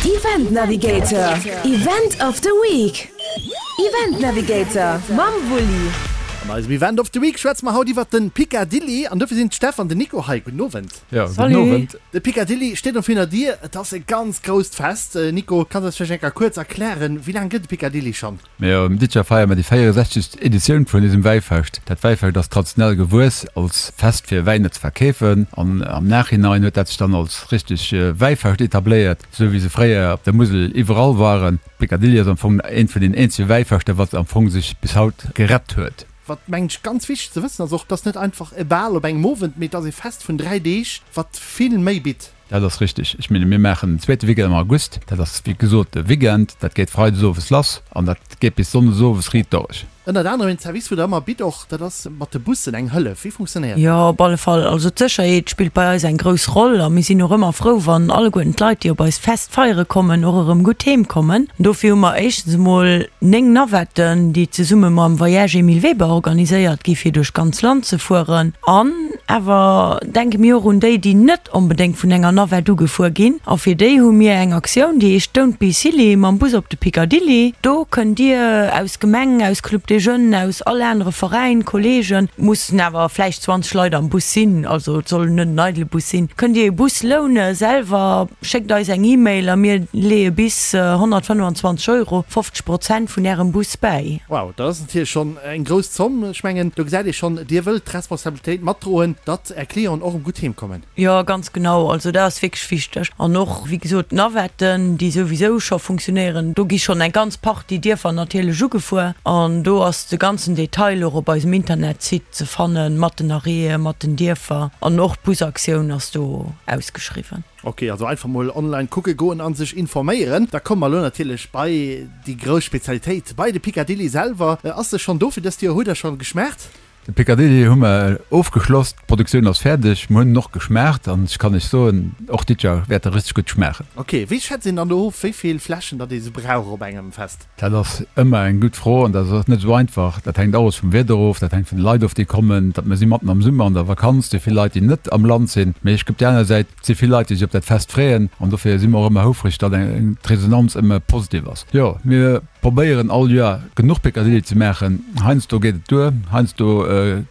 Event Navigator, Event of the Week. Event Navigator mam Wulli. An eisem Event of the Week schwätze mer haut iwwert den Picadilly an dofir sinn d'Steff an den Nico hei. Gudden Owend. Jo, gudden Owend. De Picadilly steet erëm virun der Dier. Et ass e ganz grousst Fest. Nico, kanns du eis vläicht eng Kéier kuerz erklären, wéi laang gëtt de Picadilly schonn? Mir um Ditcher feiere mer déi 64. Editioun vun eisem Wäifescht. Dat Wäifescht ass traditionell gewuess als Fest fir Wäiner ze verkeefen an am Nachhinein huet dat sech dann als richteg Wäifescht etabléiert, esou wéi se fréier op der Musel iwwerall waren. D'Picadilly ass am Fong eent vun den eenzege Wäifeschter, wat am Fong sech bis haut gerett huet. Wat mengen ech ganz wichteg ze wëssen ass och, et ass net einfach e Bal op engem Owend, mee et ass e Fest vun 3 Deeg, wat vill méi bitt. Dat ass richteg. Ech menge mir maachen den zweete Weekend am August. Dat ass wéi gesot de Weekend. Dat geet freides owes lass an dat geet bis sonndes owes riit dorech. Ënnert anerem een Service, wou Der ëmmer bitt och, dat ass mat de Bussen eng Hëllef. Wéi funktionéiert dat? Jo, op alle Fall. Also d'Sécherheet spillt bei eis eng grouss Roll a mir sinn och ëmmer frou, wann alleguerten d'Leit, déi op eist Fest feiere kommen, och erëm gutt heem kommen. Dofir hu mer éischtens emol 9 Navetten, déi zesumme mam Voyage Emile Weber organiséiert gi fir duerch d'ganz Land ze fueren. An awer denke mir och un déi, déi net onbedéngt vun enger Navette ugefuer ginn. A fir déi hu mir eng Aktioun, déi heescht Don't be silly mam Bus op de Picadilly. Do kënnt Dir aus Gemeng, aus Club des Jeunes, aus all anere Veräin, Kolleegen, mussen awer vläicht 20 Leit am Bus sinn, also et soll net en eidele Bus sinn, kënnt Dir ee Bus loune selwer. Schéckt eis eng E-Mail a mir leeë bis 125 Euro, 50 Prozent vun Ärem Bus bäi. Wow, dat ass natierlech schonn eng grouss Zomm. Ech mengen, do gesäit ee schonn, Dir wëllt d'Responsabilitéit matdroen, datt Är Clienten och erëm gutt heem kommen. Jo, ganz genau. Also dat ass wierklech wichteg. An och, wéi gesot, d'Navetten, déi souwisou scho funktionéieren, do gi schonn eng ganz Partie Dierfer natierlech ugefuer. An do ass de ganzen Detail och op eisem Internetsite ze fannen, mat den Arrêten, mat den Dierfer. An och d'Busaktioun ass do ausgeschriwwen. Ok, also einfach mol online kucke goen an sech informéieren. Da komme mer elo natierlech bei déi grouss Spezialitéit, bei de Picadilly selwer. Ass se schonn do fir dëst Joer? Hutt der schonn geschmaacht? De Picadilly hu mer ofgeschloss, d'Produktioun ass fäerdeg, mer hunn en och geschmaacht an ech kann iech soen, och dit Joer wäert e richteg gutt schmaachen. Ok, wéi schätzt een dann do of, wéi vill Fläschen datt ee sou brauch op engem Fest? Dat ass ëmmer eng gutt Fro an dat ass net esou einfach. Dat hänkt alles vum Wieder of, dat hänkt vun de Leit of, déi kommen. Dat mer si matten am Summer an der Vakanz, si vill Leit, déi net am Land sinn. Mee ech op där aner Säit, Et si vill Leit, déi sech op dat Fest freeën an dofir si mer och ëmmer houfreg, datt d'Resonanz ëmmer positiv ass. Jo, mir probéieren all Joer genuch Picadilly ze maachen. Heiansdo geet et duer, heiansdo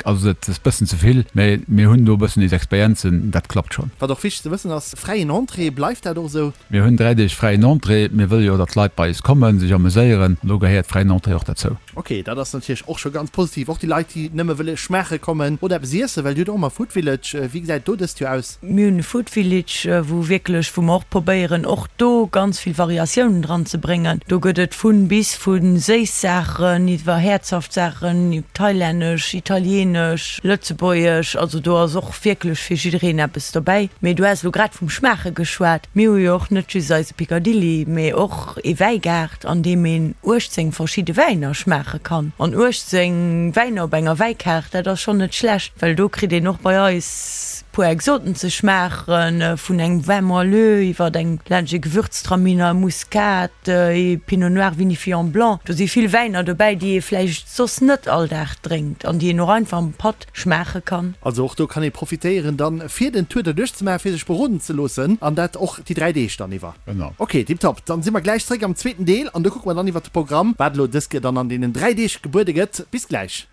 ass et e bëssen ze vill, mä mir hunn do e bëssen eis Experienzen, dat klappt schonn. Wat och wichteg ze wëssen ass, fräien Entrée, bleift dat och esou? Mir hunn 3 Deeg fräien Entrée. Mir wëlle jo, datt d'Leit bei eis kommen, sech ameséieren an do gehéiert fräien Entrée och derzou. Ok, dat ass natierlech och scho ganz positiv. Och déi Leit, déi nëmme wëlle schmaache kommen oder eppes iessen, well Dir hutt och ëmmer Food Village. Wéi gesäit et do dëst Joer aus? Mir hunn e Food Village, wou wierklech, wou mer och probéieren, och do ganz vill Variatiounen dran ze bréngen. Do gëtt et vun bis, vu séiss Saachen iwwer häerzhaft Saachen, thailännesch, italienesch, lëtzebuergesch, also do ass och wierklech fir jiddereen eppes dobäi. Mee du has elo grad vum Schmaache geschwat. Mir hu jo och net just eise Picadilly, mee och ee Wäigaart, an deem een 18 verschidde Wäiner schmaache kann. An 18 Wäiner op enger Wäikaart, dat ass schonn net schlecht, well do kritt een och bei eis puer Exoten ze schmaachen, vun engem Vin moelleux iwwert eng laanscht ee Gewürztraminer, Muscat, ee Pinot Noir vinifié en blanc. Do si vill Wäiner dobäi, déi ee vläicht soss net all Dag drénkt an déi een och einfach am Patt schmaache kann. Also och do kann ee profitéieren dann fir den Tour derduerch ze maachen, fir sech beroden ze loossen an dat och déi 3 Deeg dann iwwer. Genau. Ok, tiptop. Dann si mer gläich zréck am zweeten Deel an do kucke mer dann iwwert de Programm, wat elo dës Kéier dann an deenen 3 Deeg gebuede gëtt. Bis gläich.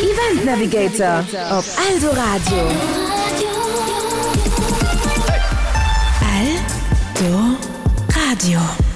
Event Navigator op Eldoradio. Eldoradio.